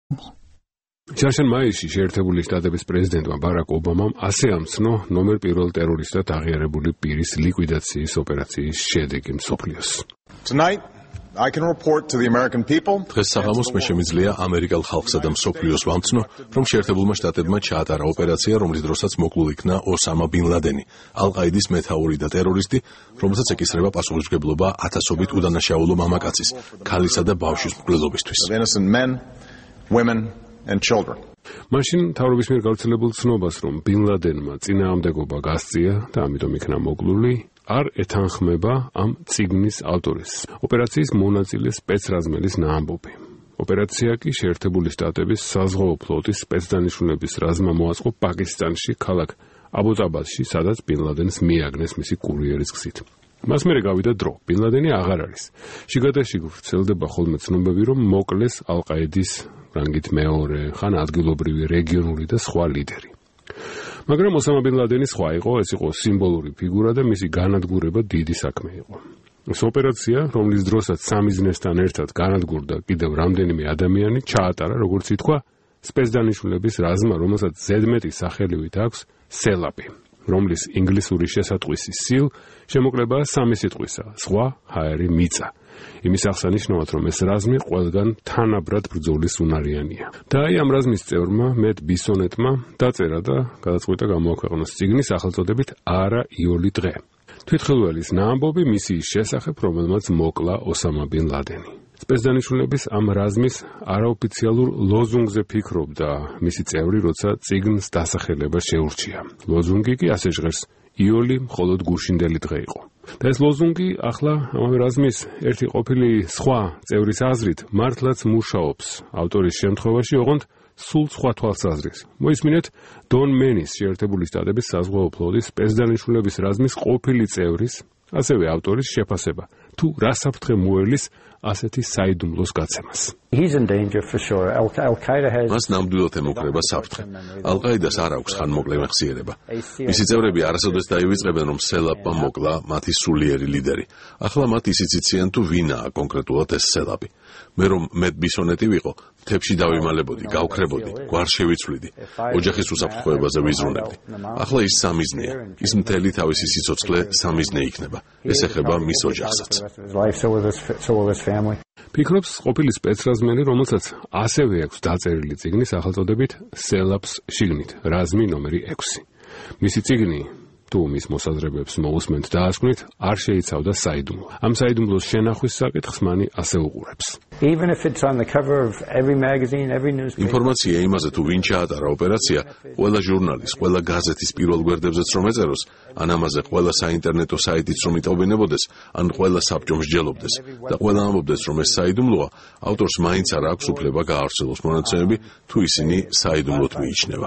Ჩარშან მაისში შეერთებული შტატების პრეზიდენტმა ბარაკ ობამამ ასე ამცნო ნომერ პირველ ტერორისტად აღიარებული პირის ლიკვიდაციის ოპერაციის შედეგი მსოფლიოს. დღეს საღამოს მე შემიძლია ამერიკელ ხალხსა და მსოფლიოს ვამცნო, რომ შეერთებულმა შტატებმა ჩაატარა ოპერაცია, რომლის დროსაც მოკლულ იქნა ოსამა ბინ ლადენი, ალ-ყაიდის მეთაური და ტერორისტი, რომელსაც ეკისრება პასუხისმგებლობა ათასობით უდანაშაულო მამაკაცის, ქალისა და ბავშვის მკვლელობისთვის. მაშინ მთავრობის მიერ გავრცელებულ ცნობას, რომ ბინ ლადენმა წინააღმდეგობა გასწია და ამიტომ იქნა მოკლული, არ ეთანხმება ამ წიგნის ავტორის, ოპერაციის მონაწილე სპეცრაზმელის ამბობი. ოპერაცია კი შეერთებული შტატების საზღვაო ფლოტის სპეცდანიშნულების რაზმმა მოაწყო პაკისტანში, ქალაქ აბუზაბადში, სადაც ბინ ლადენს მიაგნეს მისი კურიერის გზით. მას მერე გავიდა დრო, ბინ ლადენი აღარ არის. შიგადაშიგ ვრცელდება ხოლმე ცნობები, რომ მოკლეს ალ-ყაიდის რანგით მეორე, ხან ადგილობრივი, რეგიონული და სხვა ლიდერი. მაგრამ ოსამა ბინ ლადენი სხვა იყო, ეს იყო სიმბოლური ფიგურა და მისი განადგურება დიდი საქმე იყო. ეს ოპერაცია, რომლის დროსაც სამიზნესთან ერთად განადგურდა კიდევ რამდენიმე ადამიანი, ჩაატარა, როგორც ითქვა, სპეცდანიშნულების რაზმმა, რომელსაც ზედმეტი სახელივით აქვს სელაპი, რომლის ინგლისური შესატყვისი სილ შემოკლებაა სამი სიტყვისა, სხვა ჰაერი მიწა. იმის აღსანიშნავად, რომ ეს რაზმი ყველგან თანაბრად ბრძოლის უნარიანია. და აი ამ რაზმის წევრმა მეტ ბისონეტმა დაწერა და გადაწყვიტა გამოაქვეყნოს წიგნი სახელწოდებით „არა იოლი დღე“. თვითხელველის ამბობი მისიის შესახებ, რომელმაც მოკლა ოსამა ბინ ლადენი. სპეცდანიშნულების ამ რაზმის არაოფიციალურ ლოზუნგზე ფიქრობდა მისი წევრი, როცა წიგნს დასახელება შეურჩია. ლოზუნგი კი ასე ჟღერს: იოლი მხოლოდ გუშინდელი დღე იყო. და ეს ლოზუნგი ახლა ამავე რაზმის ერთი ყოფილი სხვა წევრის აზრით მართლაც მუშაობს ავტორის შემთხვევაში, ოღონდ სულ სხვა თვალსაზრისით. მოისმინეთ დონ მენის შეერთებული შტატების საზღვაო ფლოტის სპეცდანიშნულების რაზმის ყოფილი წევრის, ასევე ავტორის შეფასება, თუ რა საფრთხე მოელის ასეთი საიდუმლოს გაცემას. მას ნამდვილად ემუქრება საფრთხე. ალ-ყაიდას არ აქვს ხანმოკლე მეხსიერება. მისი წევრები არასოდეს დაივიწყებენ, რომ სელაპმა მოკლა მათი სულიერი ლიდერი. ახლა მათ ისიც იციან, თუ ვინაა კონკრეტულად ეს სელაპი. მე რომ მეტ ბისონეტი ვიყო, მთებში დავიმალებოდი, გავქრებოდი, გვარს შევიცვლიდი, ოჯახის უსაფრთხოებაზე ვიზრუნებდი. ახლა ის სამიზნეა. ის მთელი თავისი სიცოცხლე სამიზნე იქნება. ეს ეხება მის ოჯახსაც. ფიქრობს ყოფილი სპეცრაზმელი, რომელსაც ასევე აქვს დაწერილი წიგნი სახელწოდებით „სელაპს შიგნით, რაზმი ნომერი 6“. მისი წიგნი, თუ მის მოსაზრებებს მოусმენთ დაასკვნით, არ შეიცავდა საიდუმლო. ამ საიდუმლოს შენახვის საკითხს მანი ასე უყურებს. ინფორმაცია იმაზე, თუ ვინ ჩაატარა ოპერაცია, ყველა ჟურნალის, ყველა გაზეთის პირველ გვერდებზეც რომ ეწეროს, ან ამაზე ყველა საინტერნეტო საიტიც რომ იტყობინებოდეს, ან ყველა საბჭო მსჯელობდეს და ყველა ამბობდეს, რომ ეს საიდუმლოა, ავტორს მაინც არ აქვს უფლება გაავრცელოს მონაცემები, თუ ისინი საიდუმლოდ მიიჩნევა.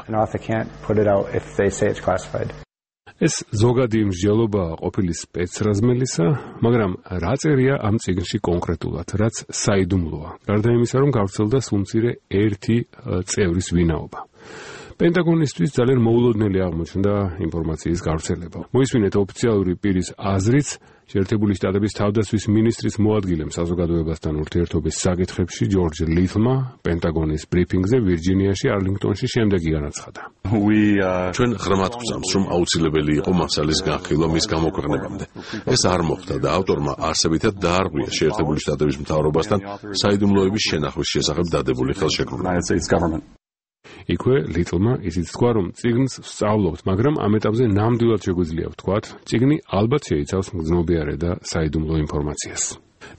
ეს ზოგადი მსჯელობაა ყოფილი სპეცრაზმელისა, მაგრამ რა წერია ამ წიგნში კონკრეტულად, რაც საიდუმლოა, გარდა იმისა, რომ გავრცელდა სულმცირე ერთი წევრის ვინაობა. პენტაგონისტვის ძალიან მოულოდნელი აღმოჩნდა ინფორმაციის გავრცელება. მოისმინეთ ოფიციალური პირის აზრიც, შეერთებული შტატების თავდაცვის მინისტრის მოადგილემ საზოგადოებასთან ურთიერთობის საკითხებში ჯორჯ ლითლმა პენტაგონის ბრიფინგზე ვირჯინიაში არლინგტონში შემდეგი განაცხადა. ჩვენ ღრმად გვწამს, რომ აუცილებელი იყო მასალის განხილვა მის გამოქვეყნებამდე. ეს არ მოხდა და ავტორმა არსებითად დაარღვია შეერთებული შტატების მთავრობასთან საიდუმლოების შენახვის შესახებ დადებული ხელშეკრულება. იქვე ლიტლმა ისიც თქვა, რომ წიგნს ვსწავლობთ, მაგრამ ამ ეტაპზე ნამდვილად შეგვიძლია ვთქვათ, წიგნი ალბათ შეიცავს მგრძნობიარე და საიდუმლო ინფორმაციას.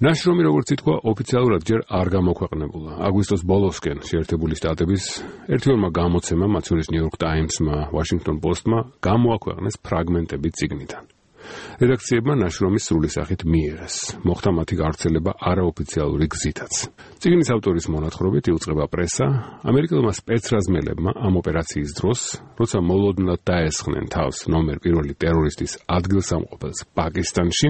ნაშრომი, როგორც ითქვა, ოფიციალურად ჯერ არ გამოქვეყნებულა. აგვისტოს ბოლოსკენ შეერთებული შტატების ერთ-ორმა გამოცემამ, მათ შორის New York Times-მა, Washington Post-მა გამოაქვეყნეს ფრაგმენტები წიგნიდან. რედაქციებმა ნაშრომის სრული სახით მიიღეს. მოხდა მათი გავრცელება არაოფიციალური გზითაც. წიგნის ავტორის მონათხრობით იუწყება პრესა, ამერიკელმა სპეცრაზმელებმა ამ ოპერაციის დროს, როცა მოლოდნელად დაესხნენ თავს ნომერ პირველი ტერორისტის ადგილსამყოფელს პაკისტანში,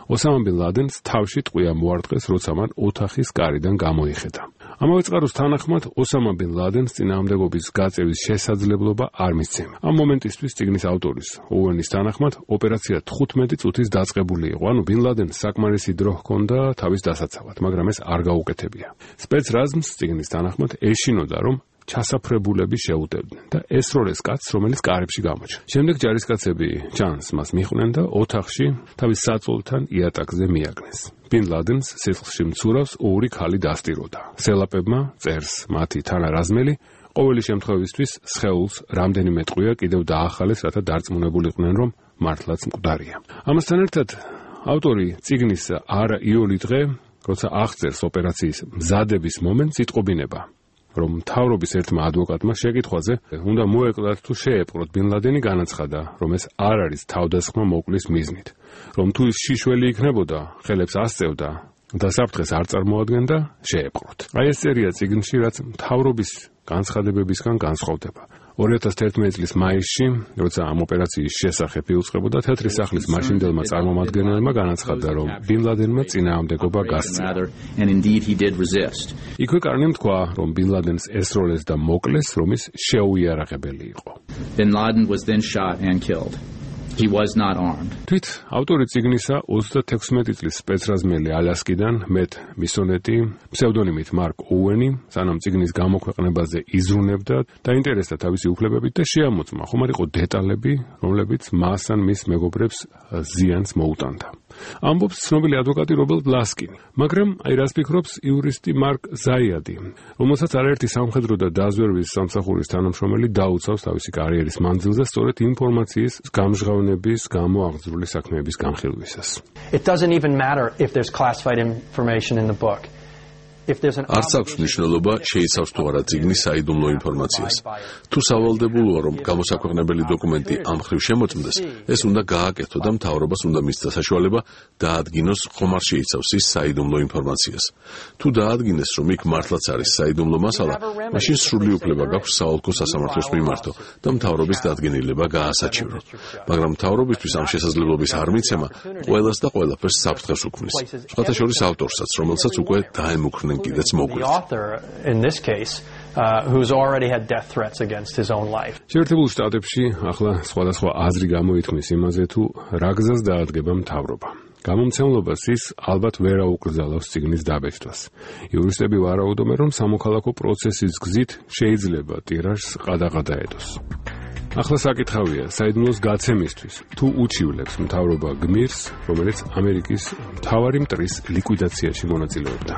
ოსამა ბინ ლადენს თავში ტყვია მოარტყეს, როცა მან ოთახის კარიდან გამოიხედა. ამავე წყაროს თანახმად, ოსამა ბინ ლადენს წინააღმდეგობის გაწევის შესაძლებლობა არ მისცემა. ამ მომენტისთვის წიგნის ავტორის ოუენის თანახმად, ოპერაცია 15 წუთის დაწყებული იყო, ანუ ბინ ლადენს საკმარისი დრო ჰქონდა თავის დასაცავად, მაგრამ ეს არ გაუკეთებია. სპეცრაზმს წიგნის თანახმად ეშინოდა, რომ ჩასაფრებულები შეუტევდნენ და ესროლეს კაცს, რომელიც კარებში გამოჩნდა. შემდეგ ჯარისკაცები ჩანს მას მიხვდნენ და ოთახში თავის საწოლთან იატაკზე მიაგნეს. ბინ ლადენს სისხლში მცურავს ორი ქალი დასტიროდა. სელაპებმა წერს მათი თანარაზმელი, ყოველი შემთხვევისთვის სხეულს რამდენიმე ტყვია კიდევ დაახალეს, რათა დარწმუნებულიყვნენ, რომ მართლაც მკვდარია. ამასთან ერთად ავტორი წიგნის არა იული დღე, როცა აღწერს ოპერაციის მზადების მომენტს, იტყობინება, რომ მთავრობის ერთმა ადვოკატმა შეკითხვაზე უნდა მოეკლათ თუ შეეპყროთ ბინ ლადენი, განაცხადა, რომ ეს არ არის თავდასხმა მოკლის მიზნით, რომ თუ ის შიშველი იქნებოდა, ხელებს ასწევდა და საფრთხეს არ წარმოადგენდა, შეეპყროთ. აი ეს წერია წიგნში, რაც მთავრობის განცხადებებისგან განსხვავდება. 2011 წლის მაისში, როცა ამ ოპერაციის შესახებ იუწყებოდა, თეთრი სახლის მაშინდელმა წარმომადგენელმა განაცხადა, რომ ბინ ლადენმა წინააღმდეგობა გასწია. იქვე კარნიმ თქვა, რომ ბინ ლადენს ესროლეს და მოკლეს, რომ ის შეუიარაღებელი იყო. Bin Laden was then shot and killed. He was not armed. თვით ავტორი წიგნისა 36 წლის სპეცრაზმელი ალასკიდან მეტ მისონეტი ფსევდონიმით მარკ ოუენი სანამ წიგნის გამოქვეყნებაზე იზრუნებდა, დაინტერესდა თავისი უფლებებით და შეამოწმა ხომარიყო დეტალები, რომლებიც მას ან მის მეგობრებს ზიანს მოუტანდა. ამბობს ცნობილი ადვოკატი რობერტ ლასკინი, მაგრამ აი რას ფიქრობს იურისტი მარკ ზაიადი, რომელსაც არაერთი სამხედრო და დაზვერვის სამსახურის თანამშრომელი დაუცავს თავისი კარიერის მანძილზე სწორედ ინფორმაციის გამჟღავნების გამო აღძრული საქმეების განხილვისას. It doesn't even matter if there's classified information in the book. არც აქვს მნიშვნელობა შეიცავს თუ არა წიგნის საიდუმლო ინფორმაციას. თუ სავალდებულოა, რომ გამოსაქვეყნებელი დოკუმენტი ამ მხრივ შემოწმდეს, ეს უნდა გააკეთო და მთავრობას უნდა მისცა საშუალება დაადგინოს ხომ არ შეიცავს ის საიდუმლო ინფორმაციას. თუ დაადგინეს, რომ იქ მართლაც არის საიდუმლო მასალა, მაშინ სრული უფლება გაქვს საოლქო სასამართლოს მიმართო და მთავრობის დადგენილება გაასაჩივროთ. მაგრამ მთავრობისთვის ამ შესაძლებლობის არ მიცემა ყველას და ყველაფერს საფრთხეს უქმნის. სხვათა შორის ავტორსაც, რომელსაც უკვე დაემუქრნენ კიდეც მოგვით. შეერთებულ შტატებში ახლა სხვადასხვა აზრი გამოითქმის იმაზე, თუ რა გზას დაადგება მთავრობა. გამომცემლობას ის ალბათ ვერ აუკრძალავს წიგნის დაბეჭდვას. იურისტები ვარაუდობენ, რომ სამოქალაქო პროცესის გზით შეიძლება ტირაჟს ყადაღადაედოს. ახლა საკითხავია, საიდუმლოს გაცემისთვის თუ უჩივლებს მთავრობა გმირს, რომელიც ამერიკის მთავარი მტრის ლიკვიდაციაში მონაწილეობდა.